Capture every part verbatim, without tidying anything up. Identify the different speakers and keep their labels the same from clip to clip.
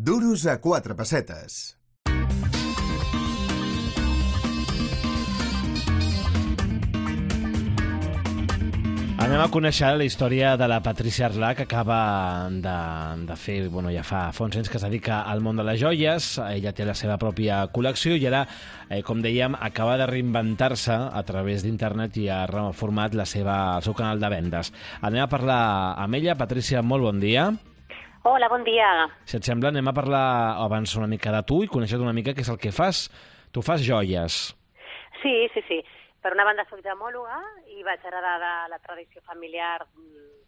Speaker 1: Duros a quatre pessetes.
Speaker 2: Anem a conèixer la història de la Patrícia Arlà, que acaba de, de fer, bueno, ja fa, fa uns anys que es dedica al món de les joies. Ella té la seva pròpia col·lecció i ara, eh, com dèiem, acaba de reinventar-se a través d'internet i ha reformat la seva, el seu canal de vendes. Anem a parlar amb ella. Patrícia, molt bon dia.
Speaker 3: Hola, bon dia.
Speaker 2: Si et sembla, anem a parlar abans una mica de tu i conèixer una mica què és el que fas. Tu fas joies.
Speaker 3: Sí, sí, sí. Per una banda soc gemòloga i vaig heredar de la tradició familiar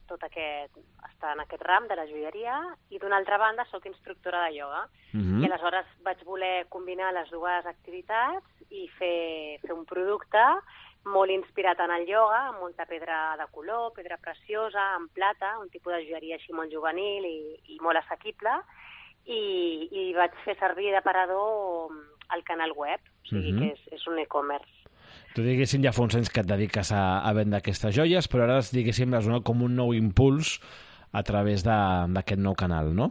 Speaker 3: tot aquest, estar en aquest ram de la joieria, i d'una altra banda soc instructora de ioga. Uh-huh. I aleshores vaig voler combinar les dues activitats i fer, fer un producte molt inspirat en el ioga, amb molta pedra de color, pedra preciosa, en plata, un tipus de joieria així molt juvenil i, i molt assequible, i, i vaig fer servir d'aparador el canal web, o sigui uh-huh. que és, és un e-commerce.
Speaker 2: Tu, diguéssim, ja fa uns anys que et dediques a, a vendre aquestes joies, però ara, diguéssim, les dones com un nou impuls a través d'aquest nou canal, no?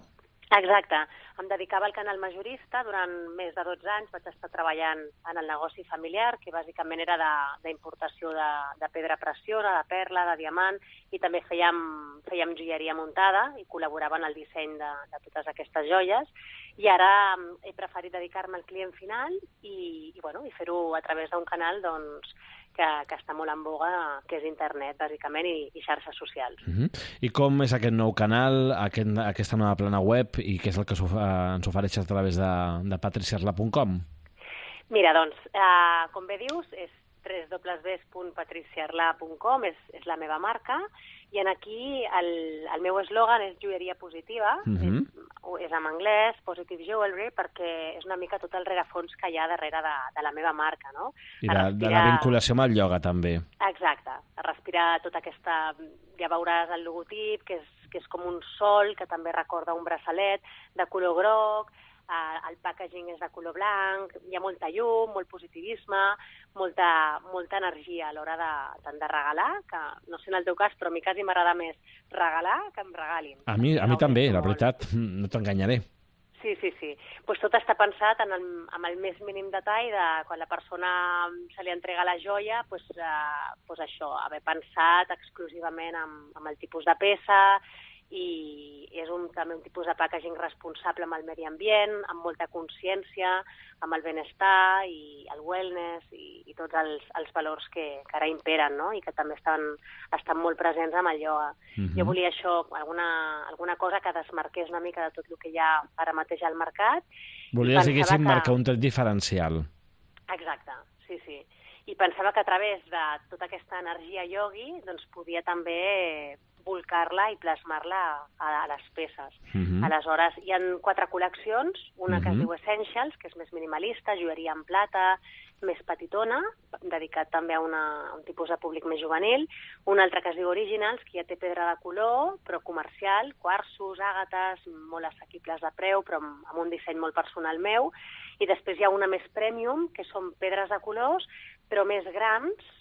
Speaker 3: Exacte. Em dedicava al canal majorista. Durant més de dotze anys vaig estar treballant en el negoci familiar, que bàsicament era d'importació de, de, de pedra preciosa, de perla, de diamant, i també fèiem, fèiem joieria muntada i col·laborava en el disseny de, de totes aquestes joies. I ara he preferit dedicar-me al client final i, i, bueno, i fer-ho a través d'un canal doncs, que, que està molt en boga, que és internet, bàsicament, i, i xarxes socials.
Speaker 2: Uh-huh. I com és aquest nou canal, aquest, aquesta nova plana web, i què és el que ens ofereixes a través de, de patricia arlà punt com?
Speaker 3: Mira, doncs, eh, com bé dius, és w w w punt patricia arlà punt com, és, és la meva marca, i en aquí el, el meu eslògan és joieria positiva, uh-huh. és, és en anglès, positive jewelry, perquè és una mica tot el rerefons que hi ha darrere de, de la meva marca, no?
Speaker 2: I de, respirar... de la vinculació amb el ioga, també.
Speaker 3: Exacte, a respirar tota aquesta... Ja veuràs el logotip, que és, que és com un sol, que també recorda un braçalet de color groc, eh, el packaging és de color blanc, hi ha molta llum, molt positivisme, molta, molta energia a l'hora de, tant de regalar, que no sé en el teu cas, però a mi quasi m'agrada més regalar que em regalin.
Speaker 2: A mi, a mi també, la veritat, no t'enganyaré.
Speaker 3: Sí, sí, sí. Pues tot està pensat en el, en el més mínim detall de quan la persona se li entrega la joia, pues, eh, pues això, haver pensat exclusivament amb, amb el tipus de peça, i és un, també un tipus de packaging responsable amb el medi ambient, amb molta consciència, amb el benestar i el wellness i, i tots els, els valors que, que ara imperen, no? I que també estan, estan molt presents amb el ioga. Uh-huh. Jo volia això, alguna, alguna cosa que desmarqués una mica de tot el que hi ha ara mateix al mercat.
Speaker 2: Volies, diguéssim, que... marcar un tret diferencial.
Speaker 3: Exacte, sí, sí. I pensava que a través de tota aquesta energia iogui doncs podia també volcar-la i plasmar-la a, a les peces. Uh-huh. Aleshores, hi ha quatre col·leccions, una uh-huh. que es diu Essentials, que és més minimalista, joieria en plata, més petitona, dedicat també a, una, a un tipus de públic més juvenil, una altra que es diu Originals, que ja té pedra de color, però comercial, quartzos, àgates, molt assequibles de preu, però amb, amb un disseny molt personal meu, i després hi ha una més premium, que són pedres de colors, però més grans,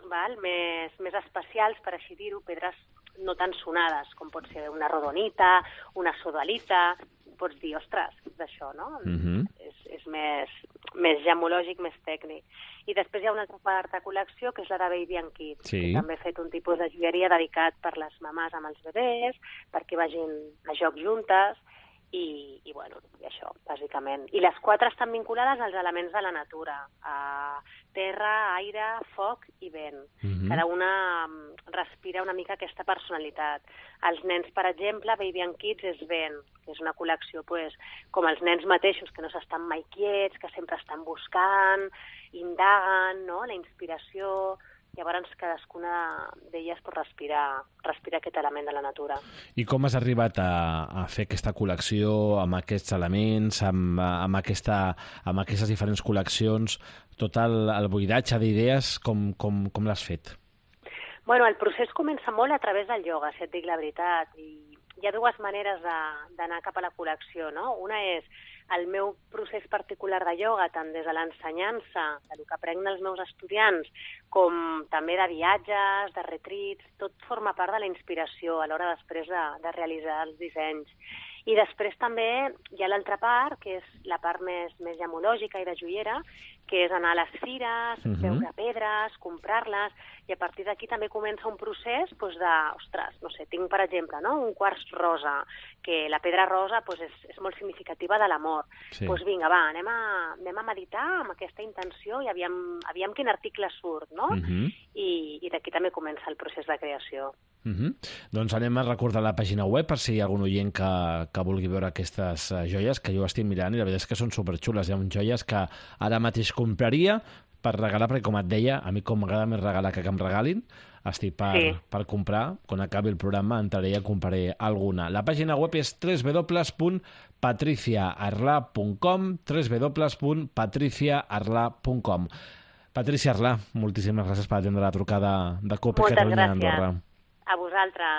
Speaker 3: val? Més, més especials, per així dir-ho, pedres no tan sonades, com pot ser una rodonita, una sodalita, pots dir, ostres, què és això, no? Uh-huh. És, és més, més gemològic, més tècnic. I després hi ha una altra quarta col·lecció, que és la de Baby and Kids, sí. que també he fet un tipus de joieria dedicat per les mamàs amb els bebès, perquè vagin a joc juntes, i, i bueno, i això, bàsicament. I les quatre estan vinculades als elements de la natura, a terra, aire, foc i vent. Mm-hmm. Cada una respira una mica aquesta personalitat. Els nens, per exemple, Baby and Kids és vent, que és una col·lecció pues, com els nens mateixos, que no s'estan mai quiets, que sempre estan buscant, indaguen, no? La inspiració... Llavors, cadascuna d'elles pot respirar, respirar aquest element de la natura.
Speaker 2: I com has arribat a, a fer aquesta col·lecció amb aquests elements, amb, amb, aquesta, amb aquestes diferents col·leccions, tot el, el buidatge d'idees, com, com, com l'has fet?
Speaker 3: Bueno, el procés comença molt a través del ioga, si et dic la veritat, i hi ha dues maneres d'anar cap a la col·lecció, no? Una és el meu procés particular de ioga, tant des de l'ensenyança, del que aprenc dels meus estudiants, com també de viatges, de retrits, tot forma part de la inspiració a l'hora després de, de realitzar els dissenys. I després també hi ha l'altra part, que és la part més, més gemològica i de joiera, que és anar a les fires, uh -huh. veure pedres, comprar-les, i a partir d'aquí també comença un procés doncs, de, ostres, no sé, tinc per exemple no? un quars rosa, que la pedra rosa doncs, és, és molt significativa de l'amor.
Speaker 2: Sí.
Speaker 3: Doncs vinga, va, anem a, anem a meditar amb aquesta intenció i aviam, aviam quin article surt, no? Uh -huh. I, i d'aquí també comença el procés de creació.
Speaker 2: Uh -huh. Doncs anem a recordar la pàgina web per si hi ha algun oient que, que vulgui veure aquestes uh, joies, que jo estic mirant i la veritat és que són superxules. Hi ha joies que ara mateix compraria per regalar, perquè com et deia, a mi com m'agrada més regalar que que em regalin, estic per, sí. per comprar. Quan acabi el programa entraré i compraré alguna. La pàgina web és w w w punt patricia arlà punt com, w w w punt patricia arlà punt com. Patricia Arlà, moltíssimes gràcies per atendre la trucada de Cope Catalunya Andorra.
Speaker 3: A vosaltres.